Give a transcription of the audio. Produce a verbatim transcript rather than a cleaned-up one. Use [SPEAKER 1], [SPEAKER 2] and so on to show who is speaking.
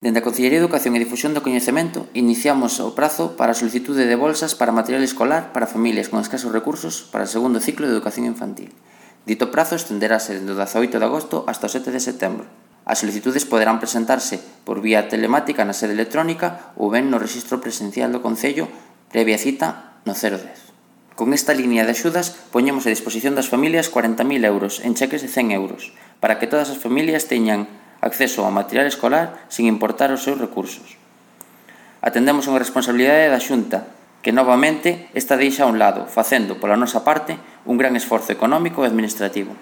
[SPEAKER 1] Dende a Consellería de Educación e Difusión do Coñecemento iniciamos o prazo para a solicitude de bolsas para material escolar para familias con escasos recursos para o segundo ciclo de educación infantil. Dito prazo estenderase dende o dezaoito de agosto hasta o sete de setembro. As solicitudes poderán presentarse por vía telemática na sede electrónica ou ben no rexistro presencial do Concello previa cita no cero dez. Con esta línea de axudas poñemos a disposición das familias corenta mil euros en cheques de cen euros para que todas as familias teñan acceso ao material escolar sin importar os seus recursos. Atendemos unha responsabilidade da Xunta que novamente esta deixa a un lado, facendo, pola nosa parte, un gran esforzo económico e administrativo.